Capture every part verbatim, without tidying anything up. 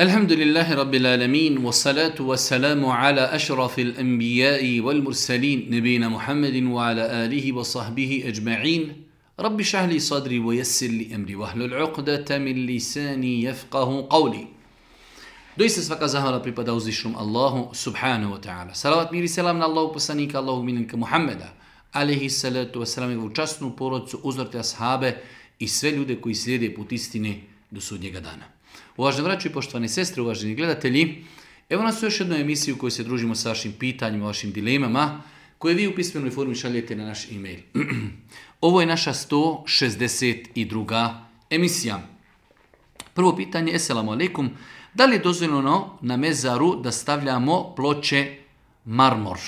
Alhamdulillahi Rabbil Alamin, wa salatu wa salamu ala ašrafil anbijai wal mursalin, nebina Muhammedin wa ala alihi wa sahbihi ajma'in. Rabbi šahli sadri wa yassir li amri wa hlul uqdata min lisani yafqahu qawli. Doista svaka zahvala pripada uzvišenom Allahu subhanahu wa ta'ala. Salavat mir i selam na Allahu poslanika, Allahu minanka Muhammeda, alaihi salatu wa salam, njegovu časnu porodcu, uzorte ashabe i sve ljude koji slijede put istine do sudnjega dana. Uvaženi braćo i poštovane sestre, uvaženi gledatelji, evo nas u još jednu emisiju u kojoj se družimo sa vašim pitanjima, vašim dilemama, koje vi u pismenoj formi šaljete na naš e-mail. Ovo je naša sto šezdeset druga emisija. Prvo pitanje, eselamu alaikum, da li je dozvoljeno na mezaru da stavljamo ploče marmor?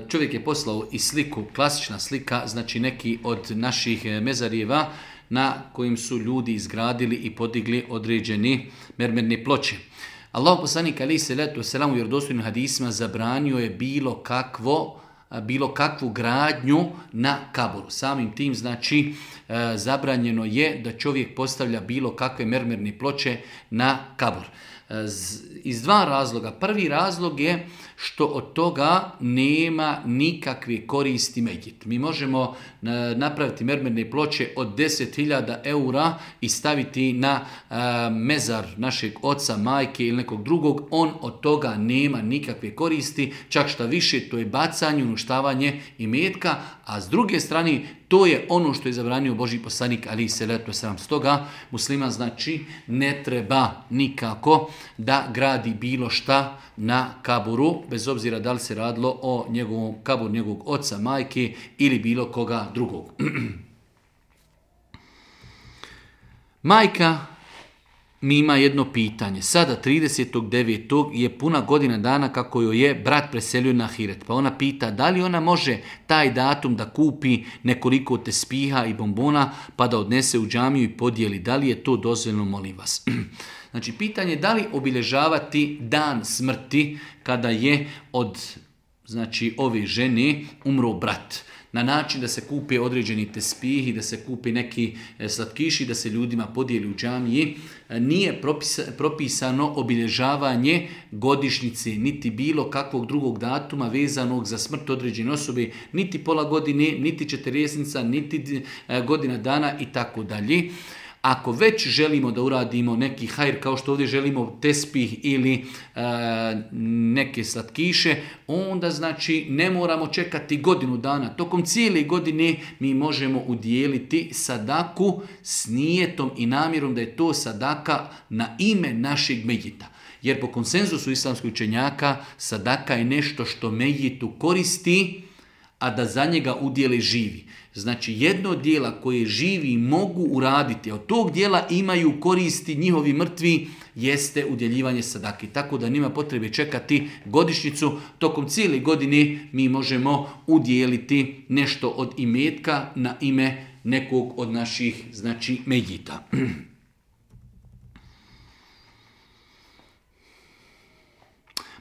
Čovjek je poslao i sliku, klasična slika, znači neki od naših mezarijeva na kojim su ljudi izgradili i podigli određeni mermerne ploče. Allah poslanik alejhi salatu vesselam u vjerodostojnim hadisima zabranio je bilo kakvo bilo kakvu gradnju na kaburu. Samim tim znači zabranjeno je da čovjek postavlja bilo kakve mermerne ploče na kabur. Iz dva razloga. Prvi razlog je što od toga nema nikakve koristi medjit. Mi možemo napraviti mermerne ploče od deset hiljada eura i staviti na mezar našeg oca, majke ili nekog drugog. On od toga nema nikakve koristi, čak šta više, to je bacanje, uništavanje imetka, a s druge strane to je ono što je zabranio Božji poslanik alejhi selatu vesselam. Stoga musliman znači ne treba nikako da gradi bilo šta na kaburu, bez obzira da li se radilo o njegovom kaburu, njegovog oca, majke ili bilo koga drugog. Majka mi ima jedno pitanje. Sada tridesetog devetog je puna godina dana kako joj je brat preselio na ahiret. Pa ona pita da li ona može taj datum da kupi nekoliko tespiha i bombona pa da odnese u džamiju i podijeli. Da li je to dozvoljeno, molim vas? Znači, pitanje je da li obilježavati dan smrti kada je od znači, ove žene umro brat. Na način da se kupe određeni tespihi, da se kupe neki slatkiši, da se ljudima podijeli u džamiji. Nije propisano obilježavanje godišnjice, niti bilo kakvog drugog datuma vezanog za smrt određene osobe, niti pola godine, niti četrdesetnica, niti godina dana i tako dalje. Ako već želimo da uradimo neki hajr, kao što ovdje želimo tespih ili e, neke slatkiše, onda znači ne moramo čekati godinu dana. Tokom cijele godine mi možemo udijeliti sadaku s nijetom i namjerom da je to sadaka na ime našeg medjita. Jer po konsenzusu islamskih učenjaka sadaka je nešto što medjitu koristi, a da za njega udjeli živi. Znači jedno od dijela koje živi mogu uraditi, a od tog dijela imaju koristi njihovi mrtvi, jeste udjeljivanje sadaki. Tako da nema potrebe čekati godišnjicu. Tokom cijele godine mi možemo udjeliti nešto od imetka na ime nekog od naših znači medjita.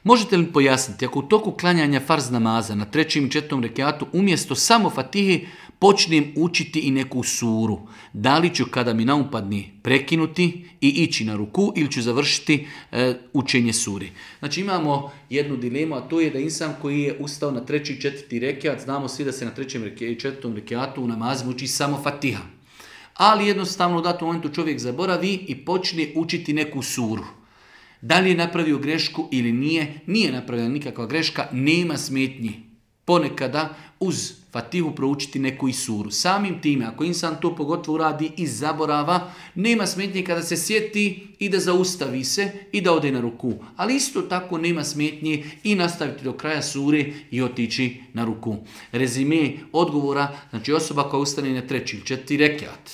Možete li pojasniti, ako u toku klanjanja farz namaza na trećem i četvrtom rekiatu umjesto samo fatihe počnem učiti i neku suru, da li ću kada mi naupadne prekinuti i ići na ruku ili ću završiti e, učenje suri? Znači imamo jednu dilemu, a to je da insan koji je ustao na treći i četvrti rekiat, znamo svi da se na trećem i četvrtom rekiatu u namazima uči samo fatiha. Ali jednostavno u datom momentu čovjek zaboravi i počne učiti neku suru. Da li je napravio grešku ili nije, nije napravila nikakva greška, nema smetnji. Ponekada uz fatihu proučiti neku i suru. Samim time, ako insan to pogotovo uradi iz zaborava, nema smetnje kada se sjeti i da zaustavi se i da ode na ruku. Ali isto tako nema smetnje i nastaviti do kraja sure i otići na ruku. Rezime odgovora, znači osoba koja ustane na treći ili četvrti rekiat.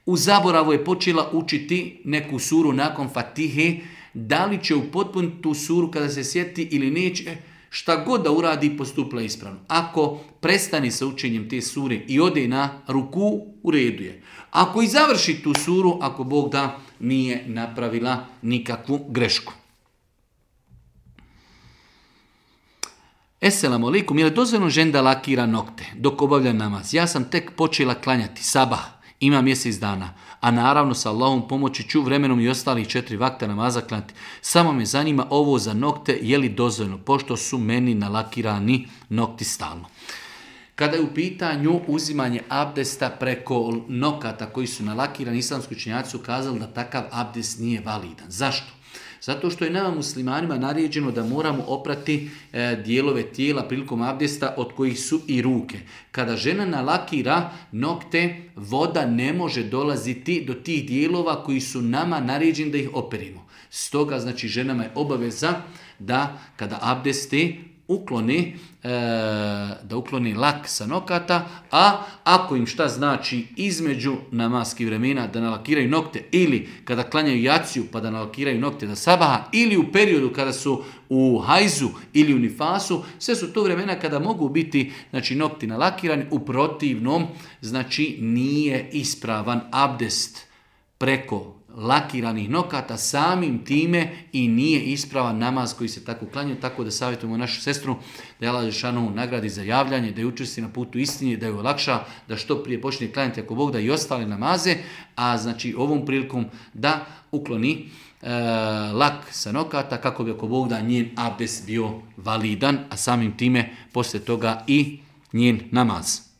U zaboravu je počela učiti neku suru nakon fatihe, da li će upotpuniti tu suru kada se sjeti ili neće, šta god da uradi postupila ispravno. Ako prestane sa učenjem te sure i ode na ruku, u redu je. Ako i završi tu suru, ako Bog da, nije napravila nikakvu grešku. Esselamu alaikum, je li dozvoljeno ženi da lakira nokte dok obavlja namaz? Ja sam tek počela klanjati sabah ima mjesec dana, a naravno sa Allahom pomoći ću vremenom i ostalih četiri vakta namaza klanjati. Samo me zanima ovo za nokte, je li dozvoljeno, pošto su meni nalakirani nokti stalno. Kada je u pitanju uzimanje abdesta preko nokata koji su nalakirani, islamski učenjaci su kazali da takav abdest nije validan. Zašto? Zato što je nama muslimanima naređeno da moramo oprati e, dijelove tijela prilikom abdesta od kojih su i ruke. Kada žena nalakira nokte, voda ne može dolaziti do tih dijelova koji su nama naređeni da ih operimo. Stoga, znači, ženama je obaveza da kada abdesti ukloni, e, da ukloni lak sa nokata, a ako im šta znači između namaskih vremena da nalakiraju nokte ili kada klanjaju jaciju pa da nalakiraju nokte da sabaha ili u periodu kada su u hajzu ili u nifasu, sve su to vremena kada mogu biti, znači, nokti nalakirani. U protivnom, znači, nije ispravan abdest preko lakiranih nokata, samim time i nije ispravan namaz koji se tako klanjaju, tako da savjetujemo našu sestru da je Allah dželešanohu nagradi za javljanje, da je učvrsti na putu istine, da je olakša, da što prije počne klanjati ako Bog da i ostale namaze, a znači ovom prilikom da ukloni e, lak sa nokata kako bi ako Bog da njen abdest bio validan, a samim time poslije toga i njen namaz.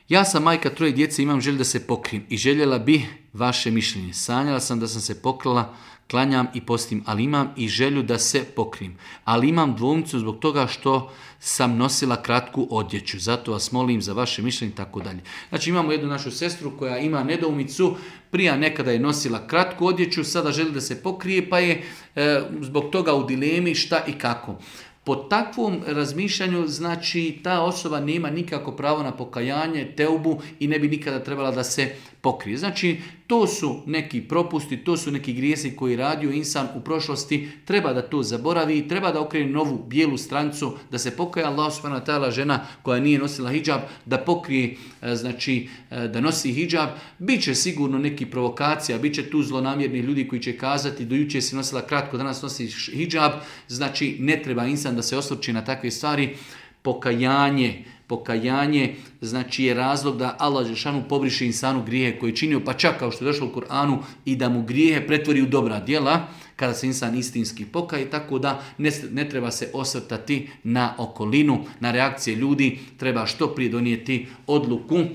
Ja sam majka troje djece, imam želju da se pokrijem i željela bi vaše mišljenje. Sanjala sam da sam se pokrila, klanjam i postim, ali imam i želju da se pokrijem. Ali imam dvoumicu zbog toga što sam nosila kratku odjeću. Zato vas molim za vaše mišljenje i tako dalje. Znači, imamo jednu našu sestru koja ima nedoumicu, prije nekada je nosila kratku odjeću, sada želi da se pokrije, pa je e, zbog toga u dilemi šta i kako. Po takvom razmišljanju, znači, ta osoba nema nikako pravo na pokajanje, teubu i ne bi nikada trebala da se pokrije. Znači, to su neki propusti, to su neki grijesi koji radio insan u prošlosti, treba da to zaboravi, treba da okrene novu bijelu stranicu, da se pokaja. Allah subhanahu wa ta'ala, žena koja nije nosila hidžab, da pokrije, znači, da nosi hidžab. Biće sigurno neki provokacija, bit će tu zlonamjerni ljudi koji će kazati do jučer si nosila kratko, danas nosi hidžab. Znači, ne treba insan da se osvrće na takve stvari. Pokajanje, pokajanje znači je razlog da Allah dželešanu pobriše insanu grijehe koje je činio, pa čak kao što je došlo u Kur'anu, i da mu grijehe pretvori u dobra djela kada se insan istinski pokaje, tako da ne, ne treba se osvrtati na okolinu, na reakcije ljudi, treba što prije donijeti odluku e,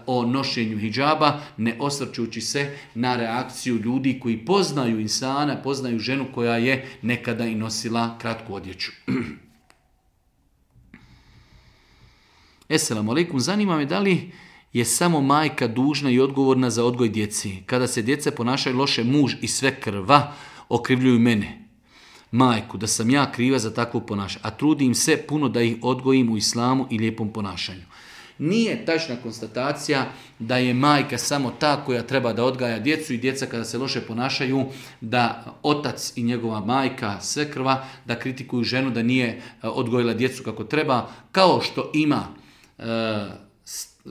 o nošenju hidžaba, ne osvrćući se na reakciju ljudi koji poznaju insana, poznaju ženu koja je nekada i nosila kratku odjeću. Esselamu alaikum, zanima me da li je samo majka dužna i odgovorna za odgoj djeci. Kada se djeca ponašaju loše, muž i sve krva okrivljuju mene, majku, da sam ja kriva za takvo ponašanje, a trudim se puno da ih odgojim u islamu i lijepom ponašanju. Nije tačna konstatacija da je majka samo ta koja treba da odgaja djecu i djeca kada se loše ponašaju, da otac i njegova majka, svekrva, da kritikuju ženu da nije odgojila djecu kako treba, kao što ima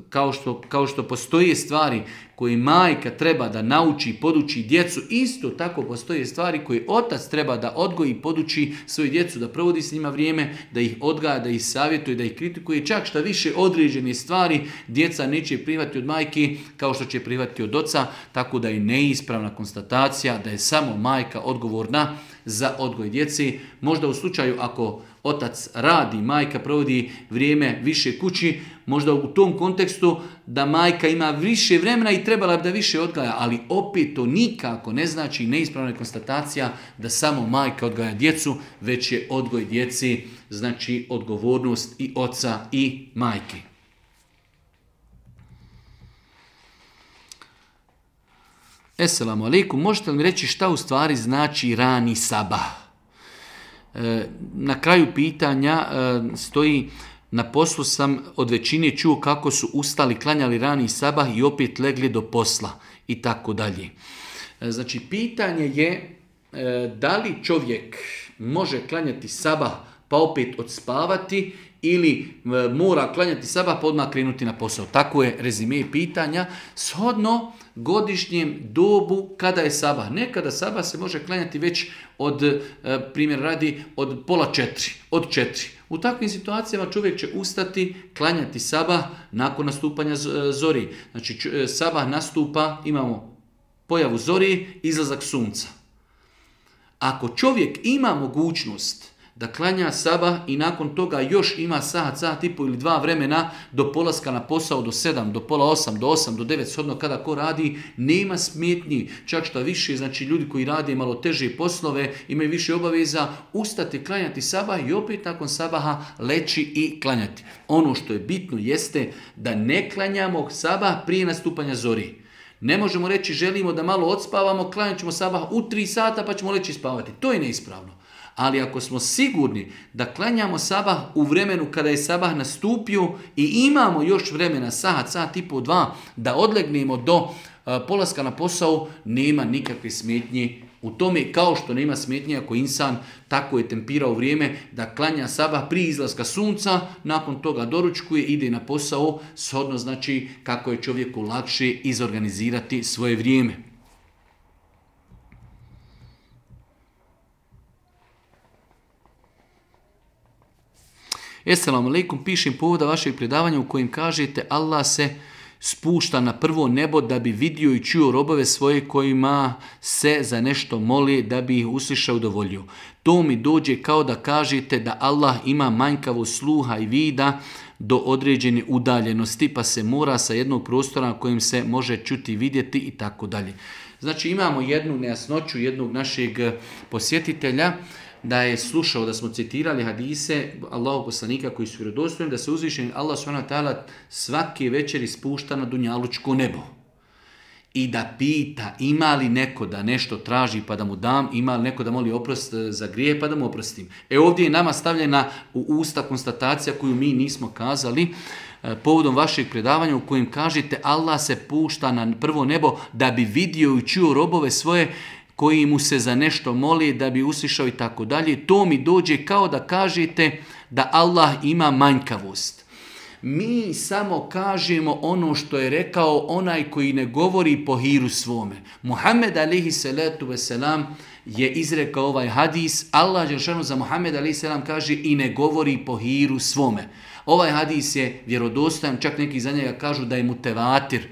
Kao što, kao što postoje stvari koje majka treba da nauči i poduči djecu, isto tako postoje stvari koje otac treba da odgoji i poduči svoju djecu, da provodi s njima vrijeme, da ih odgaja, da ih savjetuje, da ih kritikuje. Čak šta više određene stvari djeca neće prihvatiti od majke kao što će prihvatiti od oca, tako da je neispravna konstatacija da je samo majka odgovorna za odgoj djeci. Možda u slučaju ako otac radi, majka provodi vrijeme više kući, možda u tom kontekstu da majka ima više vremena i trebala bi da više odgaja, ali opet to nikako ne znači, neispravna konstatacija da samo majka odgaja djecu, već je odgoj djeci, znači odgovornost i oca i majke. Esselamu alaikum, možete li mi reći šta u stvari znači rani sabah? Na kraju pitanja stoji: na poslu sam od većine čuo kako su ustali, klanjali rani sabah i opet legli do posla i tako dalje. Znači, pitanje je da li čovjek može klanjati sabah pa opet odspavati ili mora klanjati sabah pa odmah krenuti na posao. Tako je rezime pitanja. Shodno godišnjem dobu kada je sabah. Nekada sabah se može klanjati već od, primjer radi, od pola četiri, od četiri. U takvim situacijama čovjek će ustati, klanjati sabah nakon nastupanja zori. Znači sabah nastupa, imamo pojavu zori, izlazak sunca. Ako čovjek ima mogućnost da klanja sabah i nakon toga još ima sat, sat i pol ili dva vremena do polaska na posao, do sedam, do pola osam, do osam, do devet, shodno kada ko radi, nema smetnji. Čak što više, znači ljudi koji rade malo teže poslove, imaju više obaveza, ustati, klanjati sabah i opet nakon sabaha leći i klanjati. Ono što je bitno jeste da ne klanjamo sabah prije nastupanja zori. Ne možemo reći želimo da malo odspavamo, klanjat ćemo sabah u tri sata pa ćemo leći spavati. To je neispravno. Ali ako smo sigurni da klanjamo sabah u vremenu kada je sabah nastupio i imamo još vremena, sat, sat i po dva, da odlegnemo do uh, polaska na posao, nema nikakve smetnje u tome, kao što nema smetnje ako insan tako je tempirao vrijeme da klanja sabah prije izlaska sunca, nakon toga doručkuje, ide na posao, shodno znači kako je čovjeku lakše izorganizirati svoje vrijeme. Esselamu alaikum, pišem povoda vašeg predavanja u kojem kažete Allah se spušta na prvo nebo da bi vidio i čuo robove svoje kojima se za nešto moli da bi ih uslišao i udovoljio. To mi dođe kao da kažete da Allah ima manjkavo sluha i vida do određene udaljenosti pa se mora sa jednog prostora na kojem se može čuti i vidjeti i tako dalje. Znači imamo jednu nejasnoću jednog našeg posjetitelja da je slušao da smo citirali hadise Allahov poslanika koji su vjerodostojni da se uzvišeni Allah subhanahu wa ta'ala svake večeri spušta na dunjalučko nebo. I da pita ima li neko da nešto traži pa da mu dam, ima li neko da moli oprost za grije pa da mu oprostim. E ovdje je nama stavljena u usta konstatacija koju mi nismo kazali povodom vašeg predavanja u kojem kažete Allah se pušta na prvo nebo da bi vidio i čuo robove svoje koji mu se za nešto moli da bi uslišao i tako dalje. To mi dođe kao da kažete da Allah ima manjkavost. Mi samo kažemo ono što je rekao onaj koji ne govori po hiru svome. Muhammed alejhi salatu veselam je izrekao ovaj hadis. Allah dželešanu za Muhammed alejhi selam kaže i ne govori po hiru svome. Ovaj hadis je vjerodostojan, čak neki za njega kažu da je mutevatir.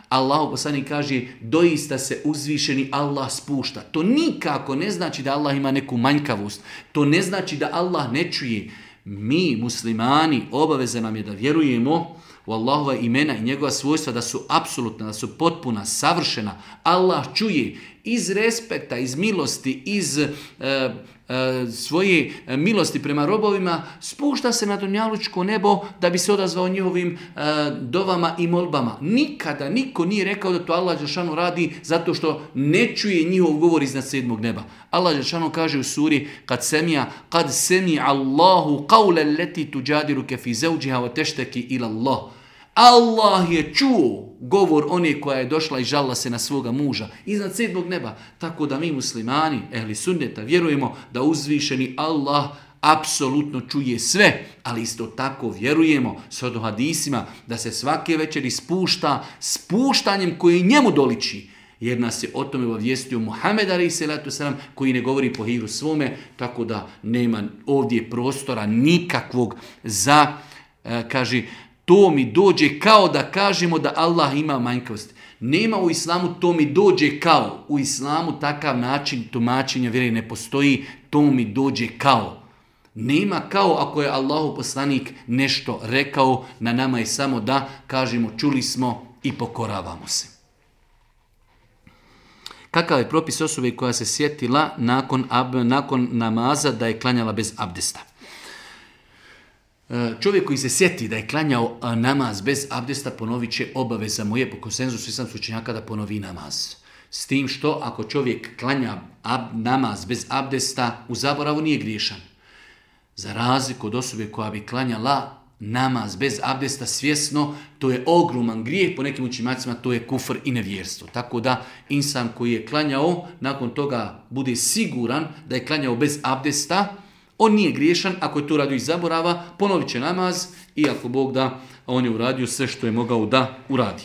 Allahu poslanik kaže doista se uzvišeni Allah spušta. To nikako ne znači da Allah ima neku manjkavost. To ne znači da Allah ne čuje. Mi muslimani obaveza nam je da vjerujemo u Allahova imena i njegova svojstva da su apsolutna, da su potpuna, savršena. Allah čuje iz respekta, iz milosti, iz e, e, svoje milosti prema robovima, spušta se na dunjalučko nebo da bi se odazvao njihovim e, dovama i molbama. Nikada niko nije rekao da to Allah dželešanu radi zato što ne čuje njihov govor iznad sedmog neba. Allah dželešanu kaže u suri kad semija, kad semi Allahu qawla allati tujadiluka fi zawjiha wa tashtaki ila Allah. Allah je čuo govor one koja je došla i žalila se na svoga muža iznad sedmog neba. Tako da mi muslimani, ehli sunneta, vjerujemo da uzvišeni Allah apsolutno čuje sve, ali isto tako vjerujemo s hadisima da se svake večeri spušta spuštanjem koji njemu doliči. Jer nas je o tome obavijestio Muhammed alejhi selatu selam koji ne govori po hiru svome, tako da nema ovdje prostora nikakvog za, kaže, to mi dođe kao da kažemo da Allah ima manjkavost. Nema u islamu to mi dođe kao. U islamu takav način tumačenja vjere ne postoji. To mi dođe kao. Nema kao ako je Allahu poslanik nešto rekao, na nama je samo da kažemo čuli smo i pokoravamo se. Kakav je propis osobe koja se sjetila nakon, ab, nakon namaza da je klanjala bez abdesta? Čovjek koji se sjeti da je klanjao namaz bez abdesta ponovit će obaveza mu je po konsenzusu islamskih učenjaka da ponovi namaz. S tim što ako čovjek klanja ab, namaz bez abdesta u zaboravu nije griješan. Za razliku od osobe koja bi klanjala namaz bez abdesta svjesno, to je ogroman grijeh, po nekim učenjacima to je kufr i nevjerstvo. Tako da insan koji je klanjao, nakon toga bude siguran da je klanjao bez abdesta, On nije griješan, ako je to radio iz zaborava, ponovit će namaz i ako Bog da, on je uradio sve što je mogao da uradi.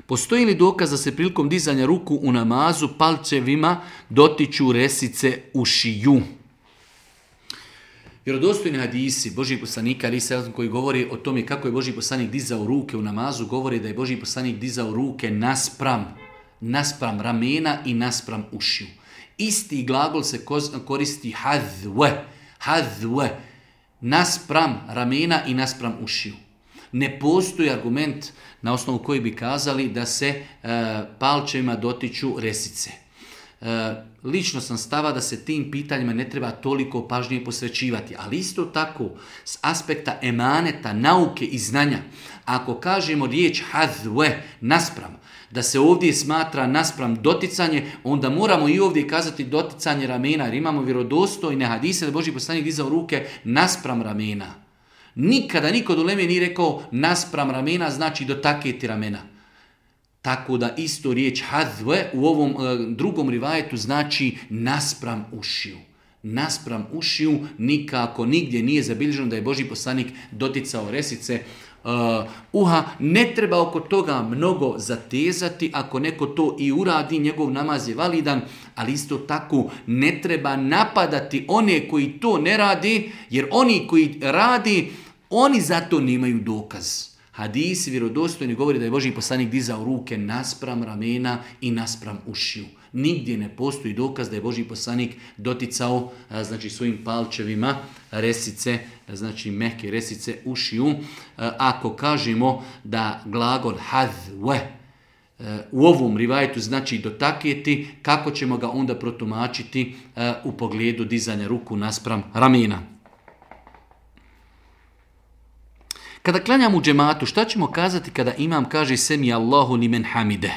Postoji li dokaz da se prilikom dizanja ruku u namazu palčevima dotiču resice ušiju? Vjerodostojni hadisi Božji poslanika ali se koji govori o tome kako je Božji poslanik dizao ruke u namazu, govori da je Božji poslanik dizao ruke naspram, naspram ramena i naspram ušiju. Isti glagol se koristi hadve, hadve, naspram ramena i naspram ušiju. Ne postoji argument na osnovu koji bi kazali da se e, palčevima dotiču resice. E, lično sam stava da se tim pitanjima ne treba toliko pažnje posvećivati, ali isto tako s aspekta emaneta, nauke i znanja, ako kažemo riječ hadve, naspram, da se ovdje smatra naspram doticanje, onda moramo i ovdje kazati doticanje ramena, jer imamo vjerodostojne hadise da Božji poslanik dizao ruke naspram ramena. Nikada niko od uleme nije rekao naspram ramena znači dotaketi ramena. Tako da isto riječ hadve u ovom e, drugom rivajetu znači naspram ušiju. Naspram ušiju nikako nigdje nije zabilježeno da je Božji poslanik doticao resice uh, uha. Ne treba oko toga mnogo zatezati, ako neko to i uradi, njegov namaz je validan, ali isto tako ne treba napadati one koji to ne radi, jer oni koji radi, oni zato nemaju dokaz. Hadisi vjerodostojni govori da je Božji poslanik dizao ruke naspram ramena i naspram ušiju. Nigdje ne postoji dokaz da je Božji poslanik doticao znači svojim palčevima resice, znači mehke resice ušiju. Ako kažemo da glagol hadve u ovom rivajetu znači dotakjeti, kako ćemo ga onda protumačiti u pogledu dizanja ruku naspram ramena? Kada klanjam u džematu, šta ćemo kazati kada imam kaže semi Allahu limen hamide?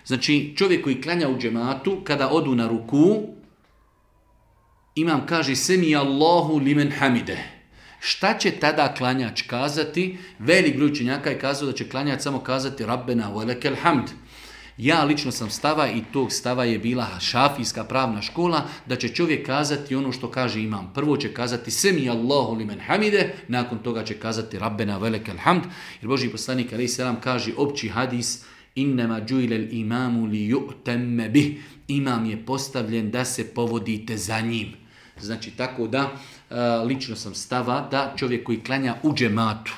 Znači čovjek koji klanja u džematu, kada odu na ruku, imam kaže semi Allahu limen hamide. Šta će tada klanjač kazati? Velik broj učenjaka je kazao da će klanjač samo kazati Rabbena velekel hamd. Ja lično sam stava i tog stava je bila šafijska pravna škola da će čovjek kazati ono što kaže imam. Prvo će kazati semi Allahu limen hamide, nakon toga će kazati Rabbena velekel hamd. Jer Božji poslanik alejhi selam kaže opći hadis innama džuilel imamu li ju'temme bih. Imam je postavljen da se povodite za njim. Znači tako da lično sam stava da čovjek koji klanja u džematu,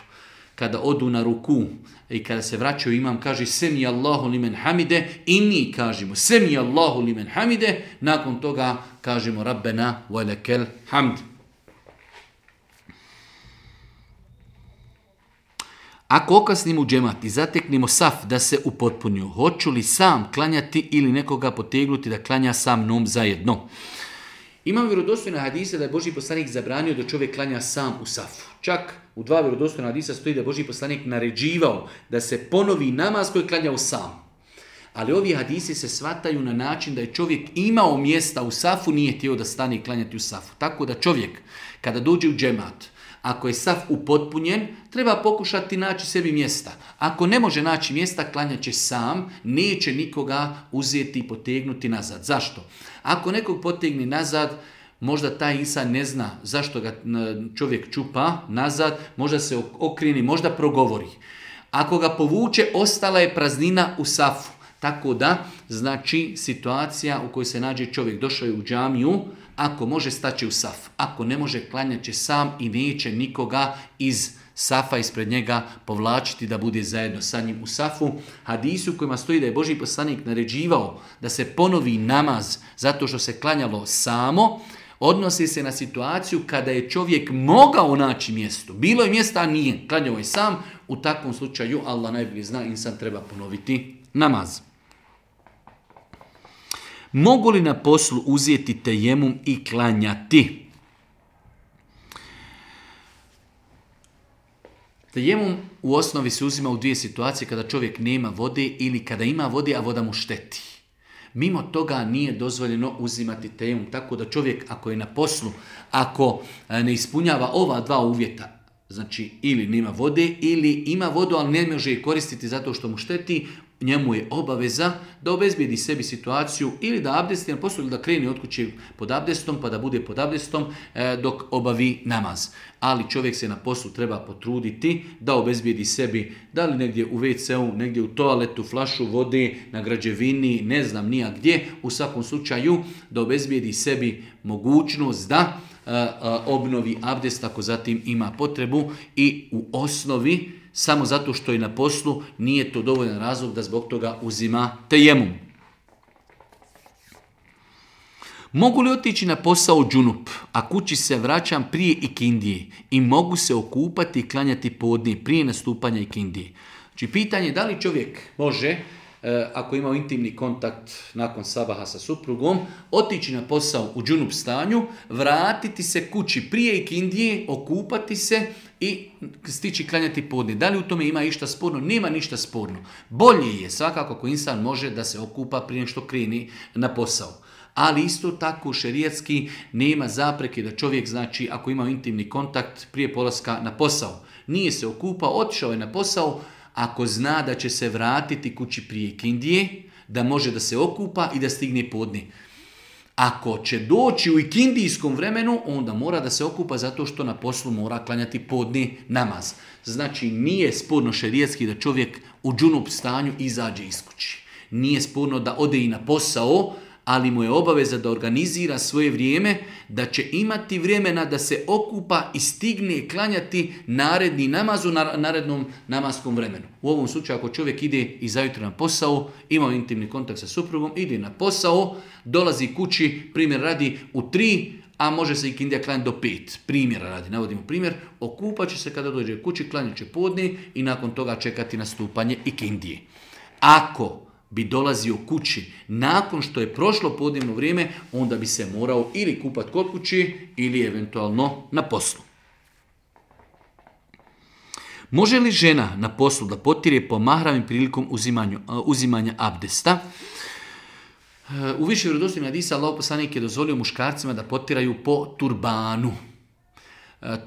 kada odu na ruku i kada se vraćaju imam kaže semi Allahu limen hamide i mi kažemo semi Allahu limen hamide, nakon toga kažemo Rabbena velekel hamd. Ako okasnimo u džemat i zateknemo saf da se upotpunju, hoću li sam klanjati ili nekoga potegnuti da klanja sa mnom zajedno? Imam vjerodostojne hadise da je Božji poslanik zabranio da čovjek klanja sam u safu. Čak u dva vjerodostojna hadisa stoji da je Božji poslanik naređivao da se ponovi namaz koji klanja u sam. Ali ovi hadisi se shvataju na način da je čovjek imao mjesta u safu, nije htio da stane i klanjati u safu. Tako da čovjek kada dođe u džemat, ako je saf upotpunjen, treba pokušati naći sebi mjesta. Ako ne može naći mjesta, klanjat će sam, neće nikoga uzeti i potegnuti nazad. Zašto? Ako nekog potegni nazad, možda taj insan ne zna zašto ga čovjek čupa nazad, možda se okreni, možda progovori. Ako ga povuče, ostala je praznina u safu. Tako da, znači, situacija u kojoj se nađe čovjek, došao je u džamiju, ako može staći u saf, ako ne može klanjat će sam i neće nikoga iz safa ispred njega povlačiti da bude zajedno sa njim u safu. Hadisu u kojima stoji da je Božji poslanik naređivao da se ponovi namaz zato što se klanjalo samo, odnosi se na situaciju kada je čovjek mogao naći mjesto. Bilo je mjesta, a nije. Klanjao je sam. U takvom slučaju, Allah najbolje zna, insan treba ponoviti namaz. Mogu li na poslu uzeti tejemum i klanjati? Tejemum u osnovi se uzima u dvije situacije, kada čovjek nema vode ili kada ima vode, a voda mu šteti. Mimo toga nije dozvoljeno uzimati tejemum, tako da čovjek ako je na poslu, ako ne ispunjava ova dva uvjeta, znači ili nema vode, ili ima vodu, ali ne može je koristiti zato što mu šteti, njemu je obaveza da obezbijedi sebi situaciju ili da abdesti na poslu ili da krene od kuće pod abdestom pa da bude pod abdestom e, dok obavi namaz. Ali čovjek se na poslu treba potruditi da obezbijedi sebi da li negdje u ve ce u, negdje u toaletu, flašu vode, na građevini, ne znam nija gdje, u svakom slučaju da obezbijedi sebi mogućnost da e, e, obnovi abdest ako zatim ima potrebu i u osnovi samo zato što je na poslu, nije to dovoljan razlog da zbog toga uzima tejemum. Mogu li otići na posao džunup, a kući se vraćam prije ikindije i mogu se okupati i klanjati podne prije nastupanja ikindije? Znači pitanje je da li čovjek može, ako ima intimni kontakt nakon sabaha sa suprugom, otići na posao u džunup stanju, vratiti se kući prije ikindije, okupati se i stići klanjati podne. Da li u tome ima išta sporno? Nema ništa sporno. Bolje je svakako ako insan može da se okupa prije što kreni na posao. Ali isto tako šerijatski nema zapreke da čovjek, znači ako ima intimni kontakt prije polaska na posao, nije se okupao, otišao je na posao, ako zna da će se vratiti kući prije ikindije, da može da se okupa i da stigne podne. Ako će doći u ikindijskom vremenu, onda mora da se okupa zato što na poslu mora klanjati podne namaz. Znači nije sporno šerijatski da čovjek u džunup stanju izađe iz kući. Nije sporno da ode i na posao, ali mu je obaveza da organizira svoje vrijeme, da će imati vremena da se okupa i stigne klanjati naredni namaz u narednom namaskom vremenu. U ovom slučaju ako čovjek ide i zajutro na posao, ima intimni kontakt sa suprugom, ide na posao, dolazi kući, primjer radi u tri, a može se ikindija klanjati do pet. Primjera radi, navodimo primjer, okupat će se kada dođe kući, klanjat će podne i nakon toga čekati nastupanje ikindije. Ako bi dolazio kući nakon što je prošlo podnevno vrijeme, onda bi se morao ili kupati kod kući ili eventualno na poslu. Može li žena na poslu da potire po mahramim prilikom uzimanju, uzimanja abdesta? U više vjerodostojnih hadisa Allahov poslanik je dozvolio muškarcima da potiraju po turbanu.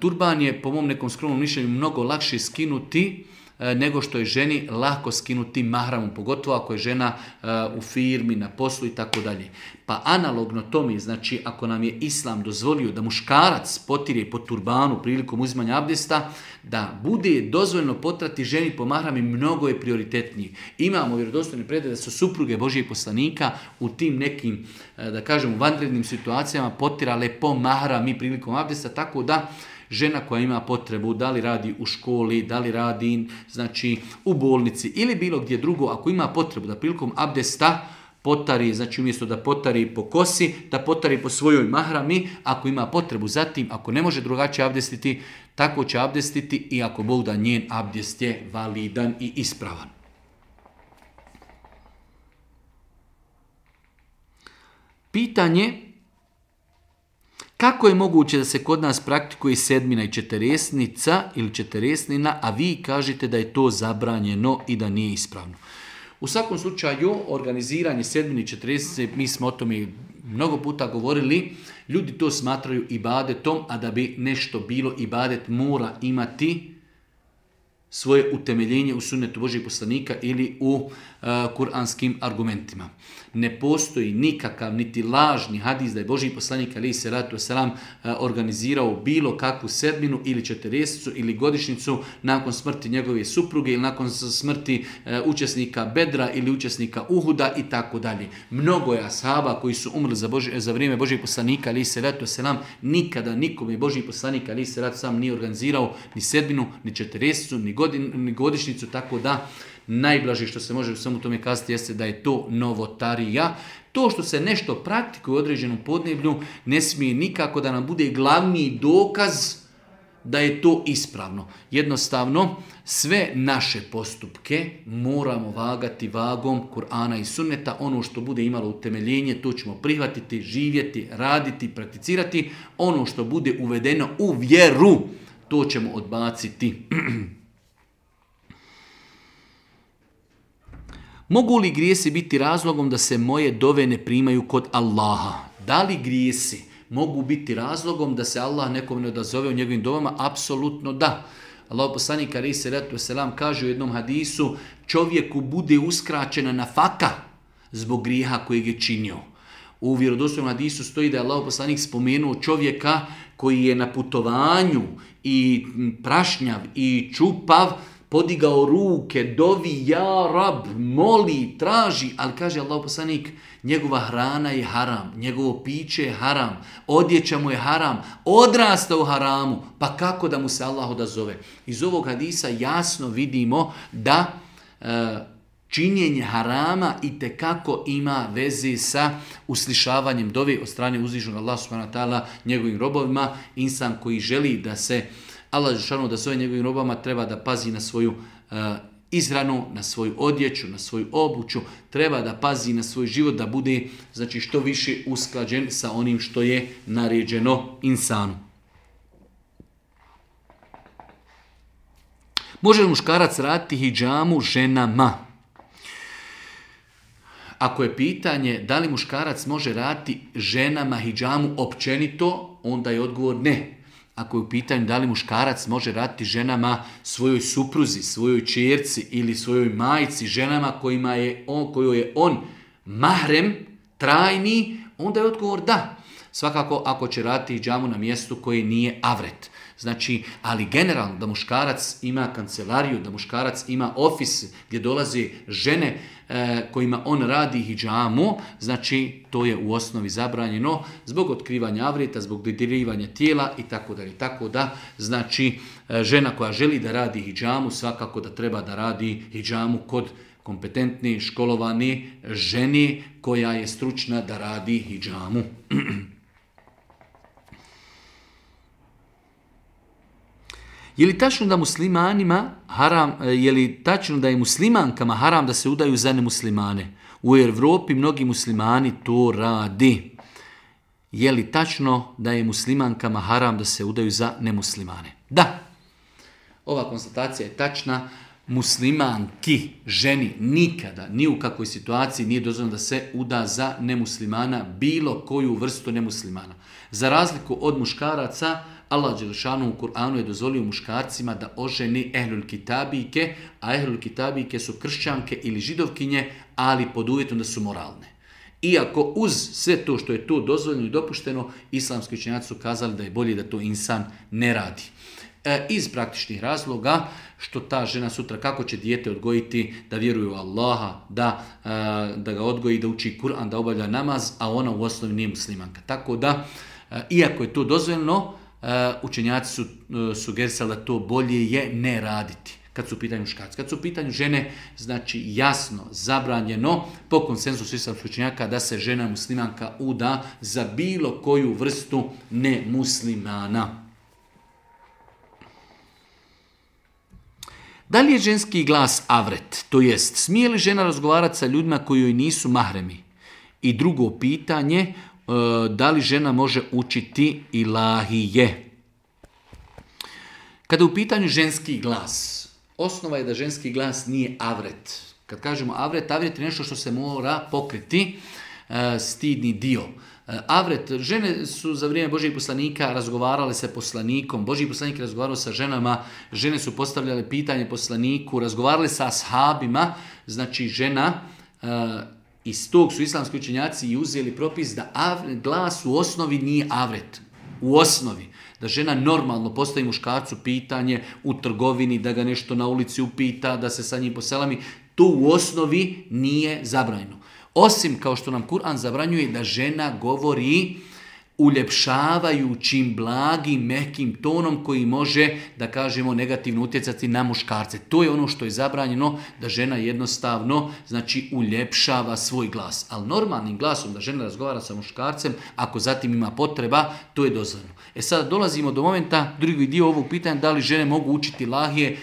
Turban je po mom nekom skromnom mišljenju mnogo lakše skinuti nego što je ženi lako skinuti mahramom, pogotovo ako je žena uh, u firmi, na poslu i tako dalje. Pa analogno tome, znači ako nam je Islam dozvolio da muškarac potire po turbanu prilikom uzimanja abdesta, da bude dozvoljeno potrati ženi po mahrami, mnogo je prioritetniji. Imamo vjerodostojne predaje da su supruge Božijeg poslanika u tim nekim, da kažemo, vanrednim situacijama potirale po mahrami prilikom abdesta, tako da žena koja ima potrebu, da li radi u školi, da li radi znači, u bolnici ili bilo gdje drugo, ako ima potrebu da prilikom abdesta potari, znači umjesto da potari po kosi, da potari po svojoj mahrami, ako ima potrebu zatim, ako ne može drugačije abdestiti, tako će abdestiti i ako Bog da njen abdest je validan i ispravan. Pitanje: kako je moguće da se kod nas praktikuje sedmina i četiresnica ili četiresnina, a vi kažete da je to zabranjeno i da nije ispravno? U svakom slučaju, organiziranje sedmine i četiresnice, mi smo o tome mnogo puta govorili, ljudi to smatraju ibadetom, a da bi nešto bilo ibadet mora imati svoje utemeljenje u sunnetu Božijeg poslanika ili u uh, kuranskim argumentima. Ne postoji nikakav niti lažni hadis da je Božji poslanik alejhi selatu vesselam uh, organizirao bilo kakvu sedminu ili četiresnicu ili godišnjicu nakon smrti njegove supruge ili nakon smrti uh, učesnika Bedra ili učesnika Uhuda i tako dalje. Mnogo je ashaba koji su umrli za, Boži, za vrijeme Božjeg poslanika alejhi selatu vesselam, nikada nikome Božji poslanik alejhi selatu vesselam nije organizirao ni sedminu, ni četiresnicu, ni ni godišnjicu, tako da najblaže što se može u svemu tome kazati jeste da je to novotarija. To što se nešto praktikuje u određenom podneblju ne smije nikako da nam bude glavni dokaz da je to ispravno. Jednostavno, sve naše postupke moramo vagati vagom Kur'ana i Sunneta. Ono što bude imalo utemeljenje, to ćemo prihvatiti, živjeti, raditi, prakticirati. Ono što bude uvedeno u vjeru, to ćemo odbaciti. Mogu li grijesi biti razlogom da se moje dove ne primaju kod Allaha? Da li grijesi mogu biti razlogom da se Allah nekom ne odazove u njegovim dovama? Apsolutno da. Allah poslanik alejhi selatu vesselam kaže u jednom hadisu, čovjeku bude uskraćena nafaka zbog grijeha kojeg je činio. U vjerodostojnom hadisu stoji da je Allah poslanik spomenuo čovjeka koji je na putovanju i prašnjav i čupav, podigao ruke, dovi, ja rab, moli, traži, ali kaže Allah poslanik, njegova hrana je haram, njegovo piće je haram, odjeća mu je haram, odrasta u haramu, pa kako da mu se Allah odazove? Iz ovog hadisa jasno vidimo da e, činjenje harama itekako ima veze sa uslišavanjem dove od strane uzvišenog Allaha subhanahu wa ta'ala njegovim robovima. Insan koji želi da se Allah dželešanu da zove njegovim robama treba da pazi na svoju uh, izhranu, na svoju odjeću, na svoju obuću, treba da pazi na svoj život, da bude znači što više usklađen sa onim što je naređeno insanu. Može li muškarac raditi hidžamu ženama? Ako je pitanje da li muškarac može raditi ženama hidžamu općenito, onda je odgovor ne. Ako je u pitanju da li muškarac može raditi ženama svojoj supruzi, svojoj ćerci ili svojoj majci, ženama kojima je on, kojoj je on mahrem, trajni, onda je odgovor da. Svakako ako će raditi hidžamu na mjestu koje nije avret. Znači, ali generalno da muškarac ima kancelariju, da muškarac ima ofis gdje dolaze žene e, kojima on radi hidžamu, znači to je u osnovi zabranjeno zbog otkrivanja avreta, zbog dodirivanja tijela i tako dalje. Tako da, znači, e, žena koja želi da radi hidžamu, svakako da treba da radi hidžamu kod kompetentne, školovane žene koja je stručna da radi hidžamu. Je li tačno da muslimanima haram, je li tačno da je muslimankama haram da se udaju za nemuslimane? U Evropi mnogi muslimani to radi. Je li tačno da je muslimankama haram da se udaju za nemuslimane? Da. Ova konstatacija je tačna. Muslimanki, ženi, nikada, ni u kakvoj situaciji nije dozvoljeno da se uda za nemuslimana, bilo koju vrstu nemuslimana. Za razliku od muškaraca, Allah dželešanu u Kur'anu je dozvolio muškarcima da oženi ehlul kitabike, a ehlul kitabike su kršćanke ili židovkinje, ali pod uvjetom da su moralne. Iako uz sve to što je to dozvoljeno i dopušteno, islamski učenjaci su kazali da je bolje da to insan ne radi. E, iz praktičnih razloga, što ta žena sutra kako će dijete odgojiti da vjeruje u Allaha, da, e, da ga odgoji, da uči Kur'an, da obavlja namaz, a ona u osnovi nije muslimanka. Tako da, e, iako je to dozvoljeno, učenjaci su sugerisali da to bolje je ne raditi kad su u pitanju muškarci. Kad su u pitanju žene, znači jasno, zabranjeno po konsenzusu islamskih učenjaka da se žena muslimanka uda za bilo koju vrstu nemuslimana. Da li je ženski glas avret? To jest, smije li žena razgovarati sa ljudima koji joj nisu mahremi? I drugo pitanje, da li žena može učiti ilahije? Kada je u pitanju ženski glas, osnova je da ženski glas nije avret. Kad kažemo avret, avret je nešto što se mora pokriti, stidni dio. Avret, žene su za vrijeme Božjeg poslanika razgovarale sa poslanikom, Božji poslanik razgovarao sa ženama, žene su postavljale pitanje poslaniku, razgovarale sa ashabima, znači žena, iz tog su islamski učenjaci i uzeli propis da avret, glas u osnovi nije avret. U osnovi. Da žena normalno postavi muškarcu pitanje u trgovini, da ga nešto na ulici upita, da se sa njim poselami. To u osnovi nije zabranjeno. Osim kao što nam Kur'an zabranjuje da žena govori uljepšavajućim, blagim, mekim tonom koji može, da kažemo, negativno utjecati na muškarce. To je ono što je zabranjeno, da žena jednostavno, znači, uljepšava svoj glas. Ali normalnim glasom da žena razgovara sa muškarcem, ako zatim ima potreba, to je dozvoljeno. E sada dolazimo do momenta, drugi dio ovog pitanja, da li žene mogu učiti ilahije.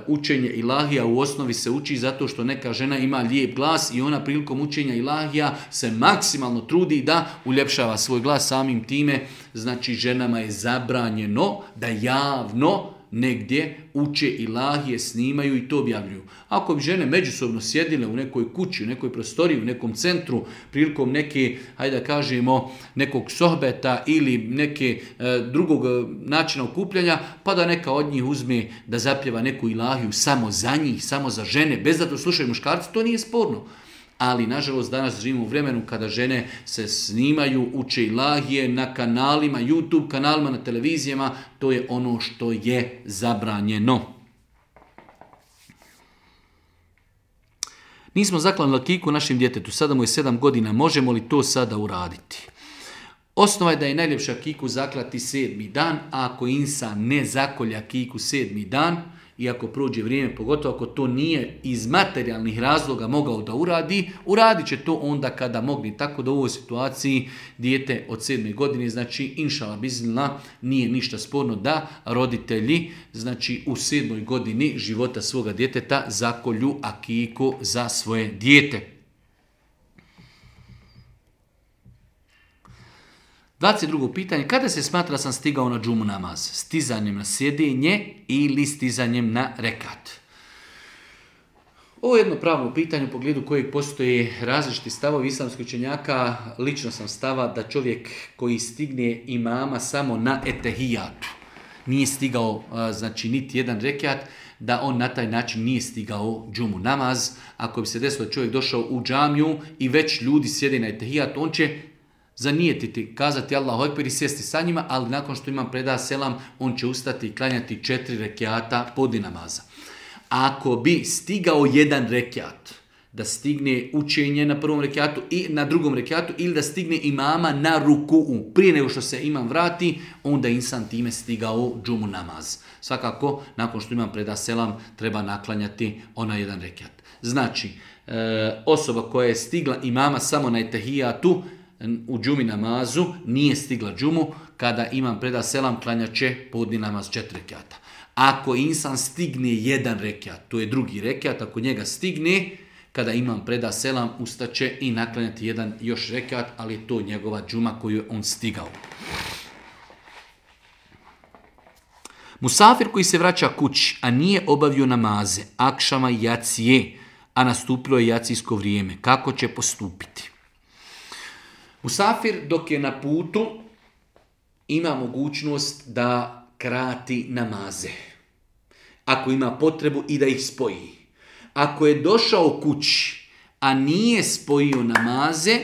Učenje ilahija u osnovi se uči zato što neka žena ima lijep glas i ona prilikom učenja ilahija se maksimalno trudi da uljepšava svoj glas samim time. Znači ženama je zabranjeno da javno negdje, uče ilahije, snimaju i to objavljuju. Ako bi žene međusobno sjedile u nekoj kući, u nekoj prostoriji, u nekom centru, prilikom neke, hajde da kažemo, nekog sohbeta ili neke e, drugog načina okupljanja, pa da neka od njih uzme da zapjeva neku ilahiju samo za njih, samo za žene, bez da to slušaju muškarci, to nije sporno. Ali, nažalost, danas živimo u vremenu kada žene se snimaju, uče ilahije na kanalima, YouTube kanalima, na televizijama. To je ono što je zabranjeno. Nismo zaklali akiku našim djetetu, sada mu je sedam godina, možemo li to sada uraditi? Osnova je da je najljepša akiku zaklati sedmi dan, a ako insan ne zakolja akiku sedmi dan, i ako prođe vrijeme, pogotovo ako to nije iz materijalnih razloga mogao da uradi, uradit će to onda kada mogli. Tako da u ovoj situaciji dijete od sedme godine, znači inšala biznila, nije ništa sporno da roditelji, znači u sedmoj godini života svoga djeteta zakolju akiku za svoje dijete. dvadeset drugo pitanje, kada se smatra da sam stigao na džumu namaz? Stizanjem na sjedinje ili stizanjem na rekat? Ovo je jedno pravno pitanje u pogledu kojeg postoje različiti stavovi islamskih učenjaka. Lično sam stava da čovjek koji stigne imama samo na etehijatu, nije stigao znači niti jedan rekat, da on na taj način nije stigao džumu namaz. Ako bi se desilo da čovjek došao u džamiju i već ljudi sjede na etehijatu, on će zanijetiti, kazati Allahu ekber i sjesti sa njima, ali nakon što imam preda selam, on će ustati i klanjati četiri rekiata podne namaza. Ako bi stigao jedan rekiat, da stigne učenje na prvom rekiatu i na drugom rekiatu, ili da stigne imama na ruku'u, prije nego što se imam vrati, onda insan time stigao džumu namaz. Svakako, nakon što imam preda selam, treba naklanjati onaj jedan rekiat. Znači, e, osoba koja je stigla imama samo na etehijatu, u džumi namazu, nije stigla džumu, kada imam preda selam, klanjat će podni namaz četiri rekiata. Ako insan stigne jedan rekiat, to je drugi rekiat, ako njega stigne, kada imam preda selam, ustaće i naklanjati jedan još rekiat, ali je to njegova džuma koju je on stigao. Musafir koji se vraća kući, a nije obavio namaze, akšama i jacije, a nastupilo je jacijsko vrijeme, kako će postupiti? Musafir dok je na putu ima mogućnost da krati namaze. Ako ima potrebu i da ih spoji. Ako je došao kući, a nije spojio namaze,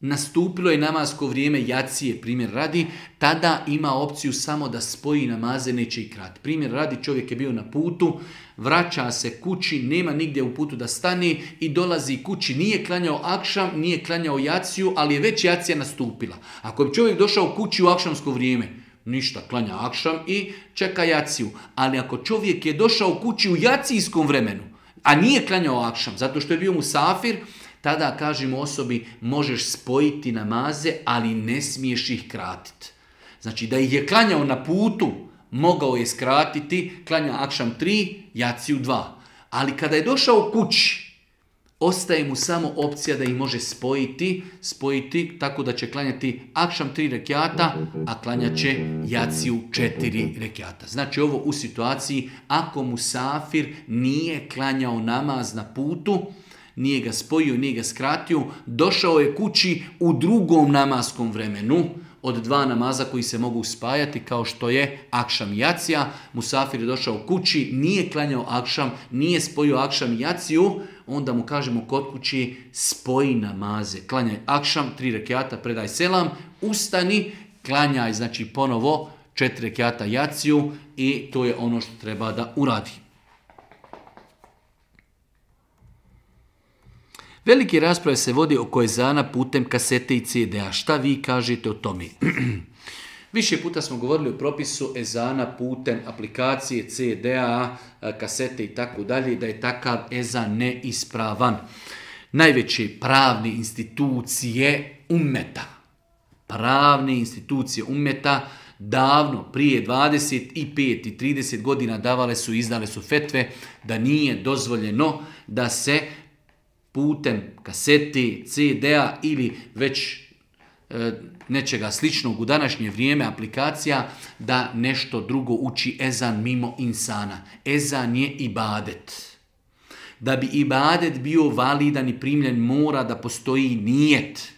nastupilo je namasko vrijeme jacije, primjer radi, tada ima opciju samo da spoji namaze, neće ih krati. Primjer radi, čovjek je bio na putu, vraća se kući, nema nigdje u putu da stane i dolazi kući, nije klanjao akšam, nije klanjao jaciju, ali je već jacija nastupila. Ako bi čovjek došao kući u akšamsko vrijeme, ništa, klanja akšam i čeka jaciju. Ali ako čovjek je došao kući u jacijskom vremenu, a nije klanjao akšam, zato što je bio musafir, tada kažemo osobi možeš spojiti namaze, ali ne smiješ ih kratiti. Znači da ih je klanjao na putu, mogao je skratiti, klanja akšam tri, jaciju dva. Ali kada je došao kući, ostaje mu samo opcija da ih može spojiti, spojiti tako da će klanjati akšam tri rekiata, a klanjat će jaciju četiri rekiata. Znači ovo u situaciji ako musafir nije klanjao namaz na putu, nije ga spojio, nije ga skratio, došao je kući u drugom namaskom vremenu, od dva namaza koji se mogu spajati, kao što je akšam i jacija. Musafir je došao kući, nije klanjao akšam, nije spojio akšam i jaciju, onda mu kažemo kod kući spoji namaze. Klanjaj akšam, tri rekiata, predaj selam, ustani, klanjaj, znači ponovo četiri rekiata jaciju i to je ono što treba da uradi. Velike rasprave se vodi oko ezana putem kasete i ce de a. Šta vi kažete o tome? Više puta smo govorili o propisu ezana putem aplikacije, ce de a, kasete i tako dalje, da je takav ezan neispravan. Najveće pravne institucije ummeta, pravne institucije ummeta, davno, prije dvadeset pet i trideset godina davale su, izdale su fetve da nije dozvoljeno da se putem kasete, ce de a ili već nečega sličnog u današnje vrijeme, aplikacija, da nešto drugo uči ezan mimo insana. Ezan je ibadet. Da bi ibadet bio validan i primljen, mora da postoji nijet.